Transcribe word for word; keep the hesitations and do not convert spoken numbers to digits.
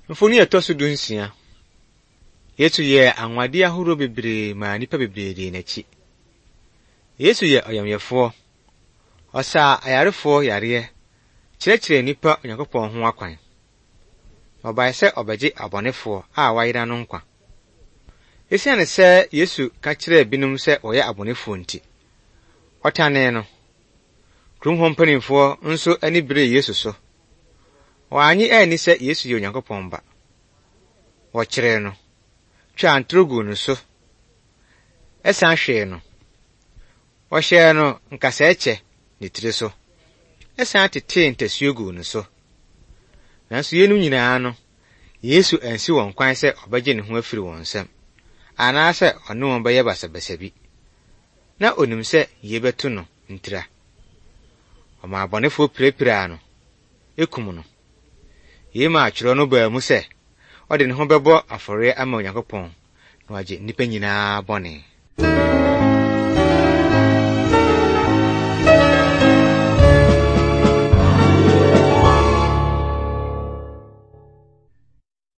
Mfoni a ɛtɔ so dunsia. Yesu yɛɛ anwonwade ahorow bebree maa nnipa bebree dii n'akyi. Yesu yɛ ɔyamyɛfoɔ. Ɔsaa ayarefoɔ yareɛ, kyerɛkyerɛɛ nnipa Onyankopɔn ho akwan. Ɔbae sɛ ɔbɛgye abɔnefoɔ a wɔayera no nkwa. Esiane sɛ Yesu ka kyerɛɛ binom sɛ wɔyɛ abɔnefoɔ nti, wɔtanee no. Kurom hɔ mpanimfoɔ nso ani beree Yesu so. Wɔannye anni sɛ Yesu yɛ Onyankopɔn ba. Wɔkyeree no, twaa ntoro guu no so, ɛsan hwee no. Wɔhyɛɛ no nkasɛɛkyɛ ne tiri so, ɛsan tetee ntasuo guu no so. Nanso yeinom nyinaa no, Yesu ansi wɔn kwan sɛ ɔbɛgye ne ho afiri wɔn nsam, anaasɛ ɔne wɔn bɛyɛ basabasa bi. Na onim sɛ yei bɛto no ntira. Ɔmaa abɔnefoɔ pirapiraa no, ekum no. Yei maa twerɛ no baa mu sɛ, ɔde ne ho bɛbɔ afɔreɛ ama Onyankopɔn na wagye nnipa nyinaa bɔne.